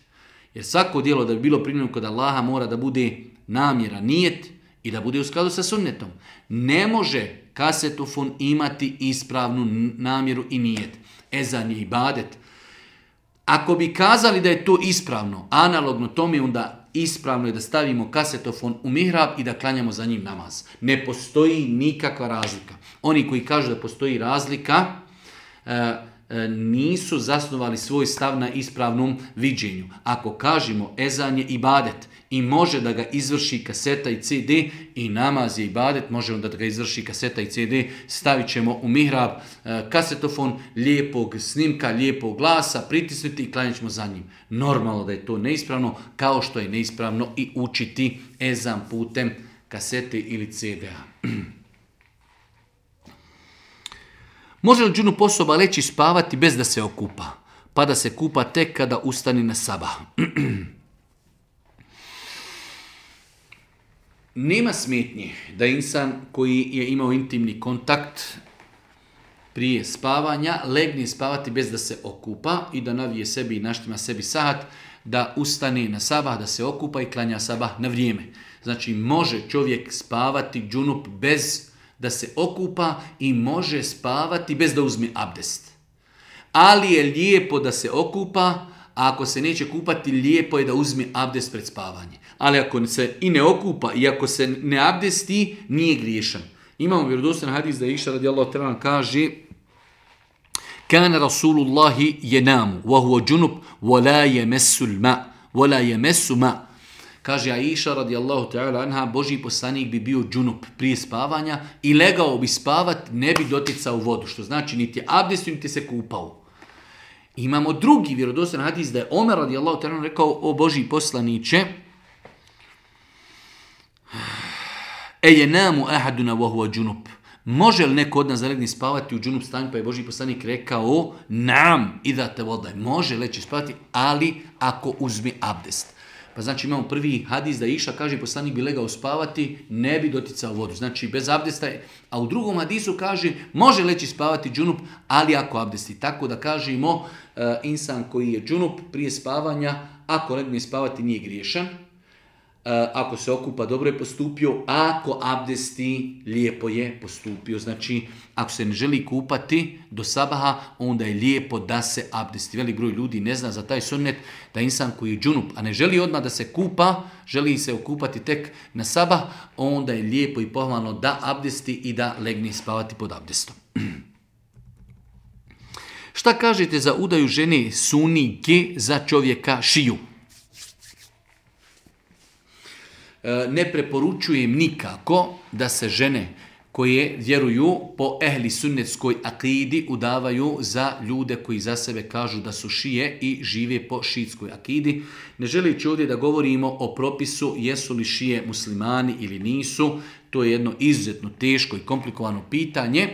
Jer svako djelo da bi bilo primljeno kod Allaha mora da bude namjera, nijet i da bude u skladu sa sunnetom. Ne može kasetofon imati ispravnu namjeru i nijet. Ezan je ibadet. Ako bi kazali da je to ispravno, analogno tome, onda ispravno je da stavimo kasetofon u mihrab i da klanjamo za njim namaz. Ne postoji nikakva razlika. Oni koji kažu da postoji razlika, nisu zasnovali svoj stav na ispravnom viđenju. Ako kažemo ezan je ibadet i može da ga izvrši kaseta i ce de, i namaz je ibadet, može da ga izvrši kaseta i ce de, stavit ćemo u mihrab kasetofon lijepog snimka, lijepog glasa, pritisnuti i klanjat ćemo za njim. Normalno da je to neispravno, kao što je neispravno i učiti ezan putem kasete ili ce de-a. Može li džunup osoba leći spavati bez da se okupa, pa da se kupa tek kada ustani na sabah? Nema smetnje da insan koji je imao intimni kontakt prije spavanja legne spavati bez da se okupa i da navije sebi i naštima sebi sahat, da ustane na sabah, da se okupa i klanja sabah na vrijeme. Znači može čovjek spavati džunup bez da se okupa i može spavati bez da uzme abdest. Ali je lijepo da se okupa, a ako se neće kupati, lijepo je da uzme abdest pred spavanje. Ali ako se i ne okupa i ako se ne abdesti, nije griješan. Imamo vjerodostojan hadis da Iša radijallahu ta'ala kaže: Kana Rasulullahi jenamu, wa huwa džunup, wa la yemessu ma, wa la yemessu ma. Kaže Aisha radijallahu ta'ala anha, Božji poslanik bi bio džunup prije spavanja i legao bi spavat, ne bi doticao vodu, što znači niti je abdestio, niti se kupao. Imamo drugi vjerodostojan hadis da je Omer radijallahu ta'ala rekao: o Božji poslaniće, ejenamu ahaduna wa huwa džunup. Može li neko od nas zalegni spavati u džunup stanju? Pa je Božji poslanik rekao: nam, idha te vodaj. Može leći spavati, ali ako uzme abdest. Pa znači imamo prvi hadis da Iša kaže poslanik bi legao spavati, ne bi doticao vodu. Znači bez abdesta. A u drugom hadisu kaže može leći spavati džunup, ali ako abdesti. Tako da kažemo uh, insan koji je džunup prije spavanja, ako legne spavati nije griješan. Uh, ako se okupa dobro je postupio, ako abdesti lijepo je postupio. Znači ako se ne želi kupati do sabaha, onda je lijepo da se abdesti. Velik broj ljudi ne zna za taj sunnet da insan koji je džunup, a ne želi odmah da se kupa, želi se okupati tek na sabah, onda je lijepo i pohvalno da abdesti i da legne spavati pod abdestom. Šta kažete za udaju žene sunike za čovjeka šiju? Ne preporučujem nikako da se žene koje vjeruju po ehli sunnetskoj akidi udavaju za ljude koji za sebe kažu da su šije i žive po šiitskoj akidi. Ne želeći ovdje da govorimo o propisu jesu li šije muslimani ili nisu, to je jedno izuzetno teško i komplikovano pitanje,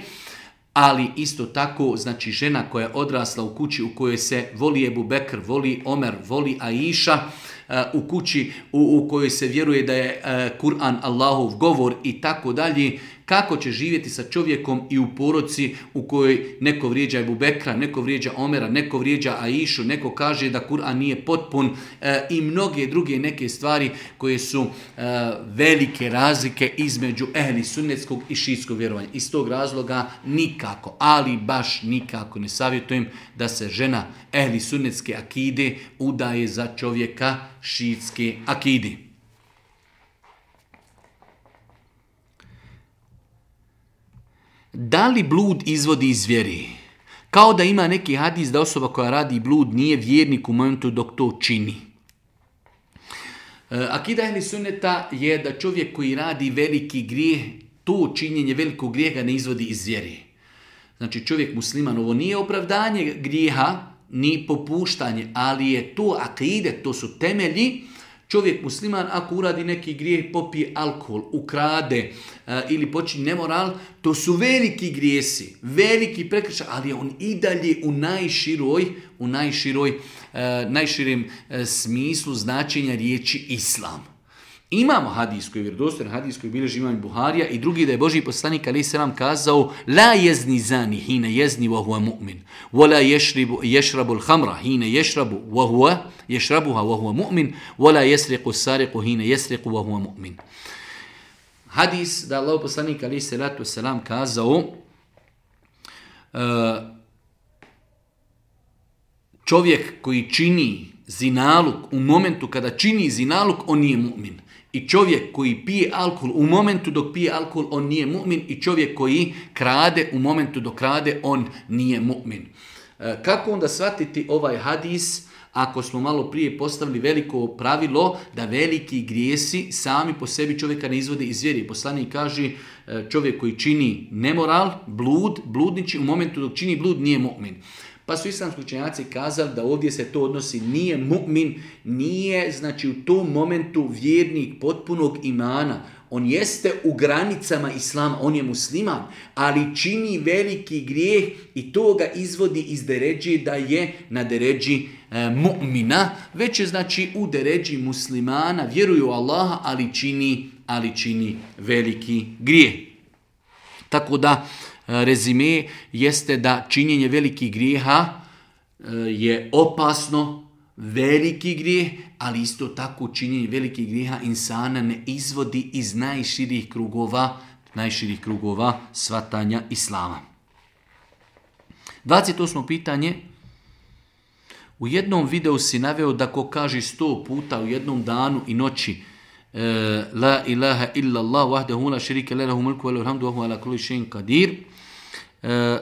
ali isto tako, znači žena koja je odrasla u kući u kojoj se voli Ebu Bekr, voli Omer, voli Aisha, u kući u, u kojoj se vjeruje da je uh, Kur'an Allahov govor i tako dalje, kako će živjeti sa čovjekom i u porodici u kojoj neko vrijeđa Ebu Bekra, neko vrijeđa Omera, neko vrijeđa Aishu, neko kaže da Kur'an nije potpun uh, i mnoge druge neke stvari koje su uh, velike razlike između ehli sunnetskog i šiitskog vjerovanja. Iz tog razloga nikako, ali baš nikako ne savjetujem da se žena ehli sunnetske akide udaje za čovjeka šiitske akide. Da li blud izvodi iz vjere? Kao da ima neki hadis da osoba koja radi blud nije vjernik u momentu dok to čini. Akida ehli sunneta je da čovjek koji radi veliki grijeh, to činjenje velikog grijeha ne izvodi iz vjere. Znači čovjek musliman, ovo nije opravdanje grijeha, ni popuštanje, ali je to akide, to su temelji Čovjek musliman ako uradi neki grijeh, popije alkohol, ukrade uh, ili počini nemoral, to su veliki grijesi, veliki prekršaj, ali on i dalje u najširoj, u najširoj, uh, najširem uh, smislu značenja riječi islam. Imamo hadis koji je vjerodostojan, hadis koji bilježi imam Buharija i drugi da je Božji poslanik alejhi selam kazao: la jezni zani hina jezni wa huwa mu'min, wa la yashrabu yashrabu al-khamra hina yashrabu wa huwa yashrabuha wa huwa mu'min, wa la yasriqu as-sariqu hina yasriqu wa huwa mu'min. Hadis da Allahov poslanik alejhi salatu vesselam kazao uh, čovjek koji čini zinaluk u momentu kada čini zinaluk, on nije mu'min. I čovjek koji pije alkohol u momentu dok pije alkohol, on nije mu'min. I čovjek koji krade u momentu dok krade, on nije mu'min. E, kako onda shvatiti ovaj hadis ako smo malo prije postavili veliko pravilo da veliki grijesi sami po sebi čovjeka ne izvode iz vjere? Poslanik kaže čovjek koji čini nemoral, blud, bludniči, u momentu dok čini blud nije mu'min. Pa su islamski učenjaci kazali da ovdje se to odnosi, nije mu'min, nije znači u tom momentu vjernik potpunog imana. On jeste u granicama islama, on je musliman, ali čini veliki grijeh i to ga izvodi iz deređi da je na deređi e, mu'mina, već je znači u deređi muslimana, vjeruju u Allaha, ali čini, ali čini veliki grijeh. Tako da rezime jeste da činjenje velikih grijeha je opasno, veliki grijeh, ali isto tako činjenje velikih grijeha insana ne izvodi iz najširih krugova, najširih krugova shvatanja islama. dvadeset osmo pitanje. U jednom videu si naveo da ko kaže sto puta u jednom danu i noći la ilaha illa Allah wahdahu la sharika lahu mulku wa lahu alhamdu wa huwa ala kulli shay'in qadir. E,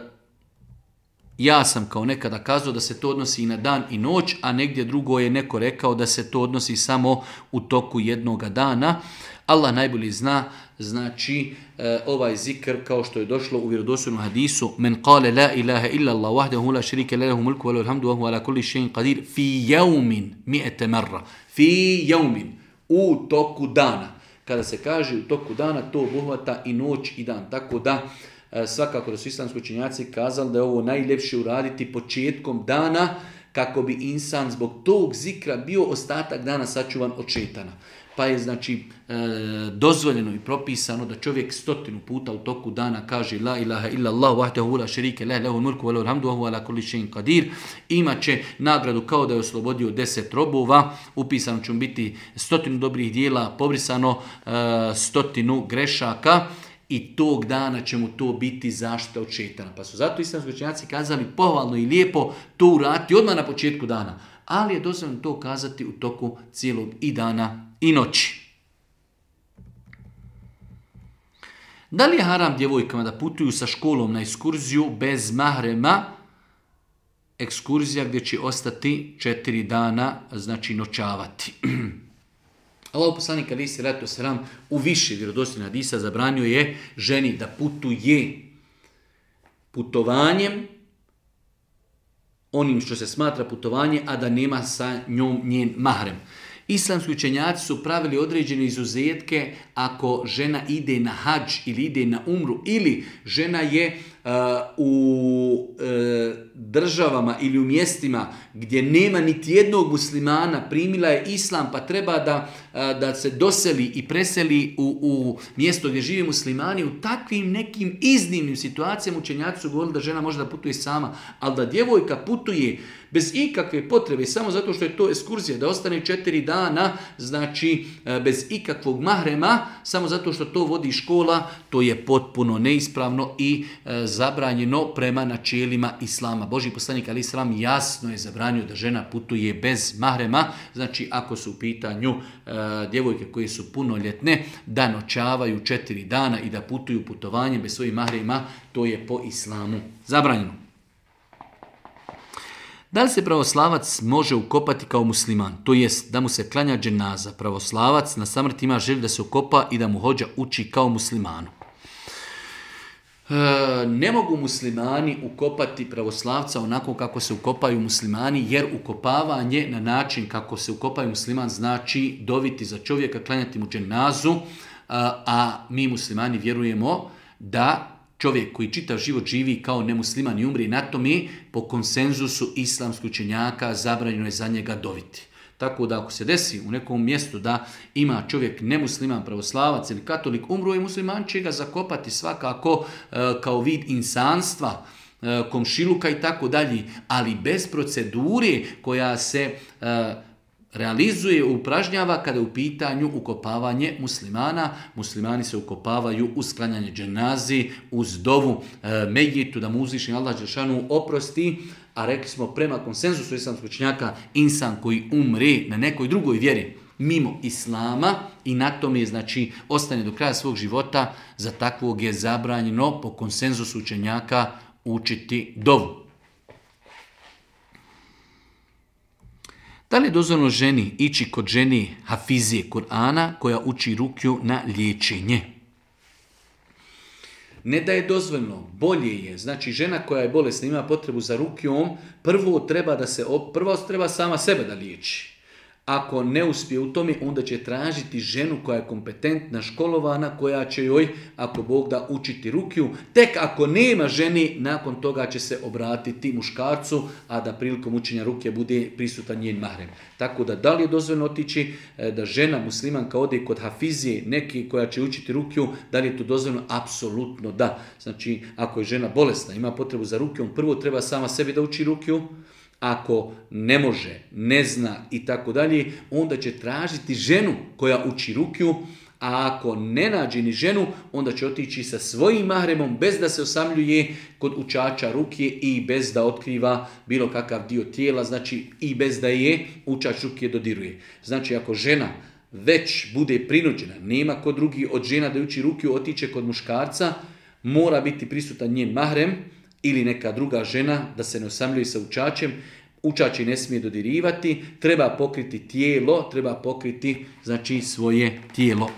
ja sam kao nekada kazao da se to odnosi i na dan i noć, a negdje drugo je neko rekao da se to odnosi samo u toku jednoga dana. Allah najbolje zna, znači e, ovaj zikr kao što je došlo u vjerodostojnom hadisu: men qala la ilaha illa Allah wahdahu la sharika lahu mulku wa lahu alhamdu wa huwa ala kulli shay'in qadir fi yawmin mi'ata marra. Fi yawmin, u toku dana. Kada se kaže u toku dana, to obuhvata i noć i dan. Tako da svakako da su islamski učenjaci kazali da je ovo najljepše uraditi početkom dana kako bi insan zbog tog zikra bio ostatak dana sačuvan od šetana. Pa je znači e, dozvoljeno i propisano da čovjek stotinu puta u toku dana kaže la ilaha illa Allah wahdahu la sharika lahu lahul mulku wa lahul hamdu wa huwa ala kulli shay'in qadir. Imaće nagradu kao da je oslobodio deset robova, upisano će mu biti stotinu dobrih dijela, pobrisano e, stotinu grešaka. I tog dana će mu to biti zaštita od šetana. Pa su zato islamski učenjaci kazali pohvalno i lijepo to uraditi odmah na početku dana. Ali je dozvoljeno to kazati u toku cijelog i dana i noći. Da li je haram djevojkama da putuju sa školom na ekskurziju bez mahrema? Ekskurzija gdje će ostati četiri dana, znači noćavati. Allahov poslanik alejhi selatu vesselam u više vjerodostojnih hadisa zabranio je ženi da putuje putovanjem, onim što se smatra putovanje, a da nema sa njom njen mahrem. Islamski učenjaci su pravili određene izuzetke ako žena ide na hadž ili ide na umru ili žena je uh, u uh, državama ili u mjestima gdje nema niti jednog muslimana, primila je islam pa treba da, uh, da se doseli i preseli u, u mjesto gdje žive muslimani. U takvim nekim iznimnim situacijama učenjaci su govorili da žena može da putuje sama, ali da djevojka putuje bez ikakve potrebe, samo zato što je to ekskurzija, da ostane četiri dana, znači bez ikakvog mahrema, samo zato što to vodi škola, to je potpuno neispravno i e, zabranjeno prema načelima islama. Božji poslanik alejhi selam jasno je zabranio da žena putuje bez mahrema, znači ako su u pitanju e, djevojke koje su punoljetne, da noćavaju četiri dana i da putuju putovanjem bez svojih mahrema, to je po islamu zabranjeno. Da li se pravoslavac može ukopati kao musliman? To jest da mu se klanja dženaza. Pravoslavac na samrti ima želju da se ukopa i da mu hodža uči kao muslimanu. ne mogu muslimani ukopati pravoslavca onako kako se ukopaju muslimani, jer ukopavanje na način kako se ukopaju musliman znači doviti za čovjeka, klanjati mu dženazu, a mi muslimani vjerujemo da čovjek koji čitav život živi kao nemusliman i umri na tome, po konsenzusu islamskih učenjaka zabranjeno je za njega doviti. Tako da ako se desi u nekom mjestu da ima čovjek nemusliman, pravoslavac ili katolik, umro je musliman, će ga zakopati svakako e, kao vid insanstva, e, komšiluka i tako dalje, ali bez procedure koja se e, realizuje, upražnjava kada je u pitanju ukopavanje muslimana. Muslimani se ukopavaju uz sklanjanje dženazi, uz dovu e, mejitu, da mu uzvišeni Allah dželešanu oprosti, a rekli smo prema konsenzusu islamskog učenjaka, insan koji umre na nekoj drugoj vjeri mimo islama i na tome znači ostane do kraja svog života, za takvog je zabranjeno po konsenzusu učenjaka učiti dovu. Da li je dozvoljeno ženi ići kod žene hafizije Kur'ana koja uči rukju na liječenje? Ne da je dozvoljeno, bolje je. Znači žena koja je bolesna, ima potrebu za rukjom, prvo treba da se prvo treba sama sebe da liječi. Ako ne uspije u tome, onda će tražiti ženu koja je kompetentna, školovana, koja će joj, ako Bog da, učiti rukju. Tek ako nema ženi, nakon toga će se obratiti muškarcu, a da prilikom učenja rukje bude prisutan njen mahrem. Tako da, da li je dozvoljeno otići da žena muslimanka ode kod hafizije, neki koja će učiti rukju, da li je to dozvoljeno? Apsolutno da. Znači, ako je žena bolesna, ima potrebu za rukjom, prvo treba sama sebi da uči rukju. Ako ne može, ne zna i tako dalje, onda će tražiti ženu koja uči rukju, a ako ne nađe ni ženu, onda će otići sa svojim mahremom bez da se osamljuje kod učača rukje i bez da otkriva bilo kakav dio tijela, znači i bez da je učač rukje dodiruje. Znači ako žena već bude prinuđena, nema kod drugi od žena da uči rukju, otiće kod muškarca, mora biti prisutan njen mahrem, ili neka druga žena da se ne osamljuje sa učačem, učači ne smije dodirivati, treba pokriti tijelo, treba pokriti znači svoje tijelo.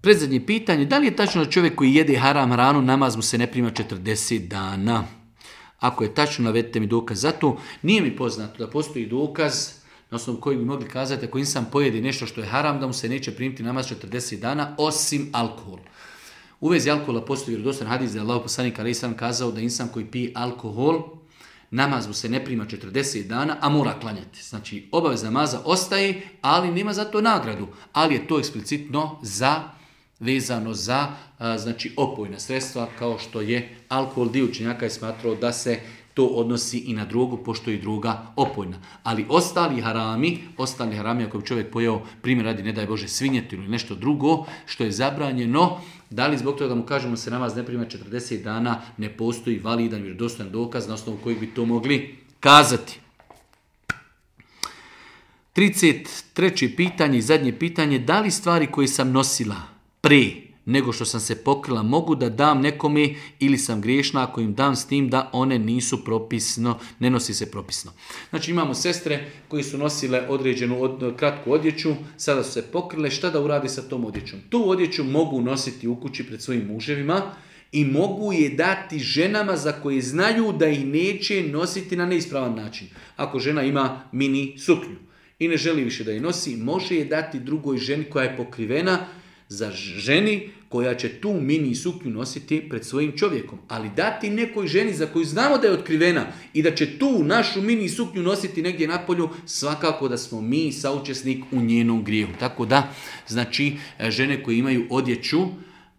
Predzadnje pitanje, da li je tačno da čovjek koji jede haram hranu, namaz mu se ne prima četrdeset dana? Ako je tačno, navedite mi dokaz za to. Nije mi poznato da postoji dokaz na osnovu koji bi mogli kazati ako insan pojedi nešto što je haram, da mu se neće primiti namaz četrdeset dana, osim alkohol. U vezi alkohola postoji vjerodostojan hadis da je Allahov poslanik alejhi selam kazao da insan koji pije alkohol, namaz mu se ne prima četrdeset dana, a mora klanjati. Znači, obaveza namaza ostaje, ali nema za to nagradu. Ali je to eksplicitno za, vezano za a, znači, opojna sredstva, kao što je alkohol. Dio učenjaka je smatrao da se to odnosi i na drogu, pošto je druga opojna. Ali ostali harami, ostali harami, ako bi čovjek pojeo, primjer radi, ne daj Bože, svinjetinu ili nešto drugo, što je zabranjeno, da li zbog toga da mu kažemo se namaz ne prima četrdeset dana, ne postoji validan, vjerodostojan dokaz na osnovu kojeg bi to mogli kazati. trideset treće pitanje i zadnje pitanje, da li stvari koje sam nosila pre nego što sam se pokrila mogu da dam nekome ili sam griješna ako im dam s tim da one nisu propisno, ne nosi se propisno. Znači imamo sestre koji su nosile određenu od, kratku odjeću, sada su se pokrile, šta da uradi sa tom odjećom? Tu odjeću mogu nositi u kući pred svojim muževima i mogu je dati ženama za koje znaju da ih neće nositi na neispravan način. Ako žena ima mini suknju i ne želi više da je nosi, može je dati drugoj ženi koja je pokrivena, za ženi koja će tu mini suknju nositi pred svojim čovjekom. Ali dati nekoj ženi za koju znamo da je otkrivena i da će tu našu mini suknju nositi negdje napolju, svakako da smo mi saučesnik u njenom grijehu. Tako da, znači, žene koje imaju odjeću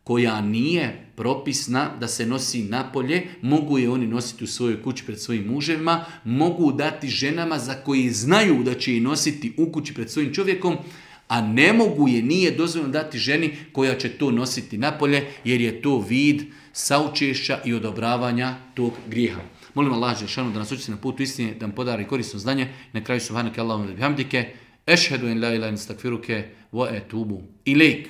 koja nije propisna da se nosi napolje, mogu je oni nositi u svojoj kući pred svojim muževima, mogu dati ženama za koje znaju da će je nositi u kući pred svojim čovjekom, a ne mogu je, nije dozvoljeno dati ženi koja će to nositi napolje, jer je to vid saučešća i odobravanja tog grijeha. Molim Allah dželešanu da nas učiti na putu istine, da nam podari korisno znanje. Na kraju subhanake Allahumma wa bihamdike, ešhedu en la ilaha illa ente, estegfiruke wa etubu ilejk.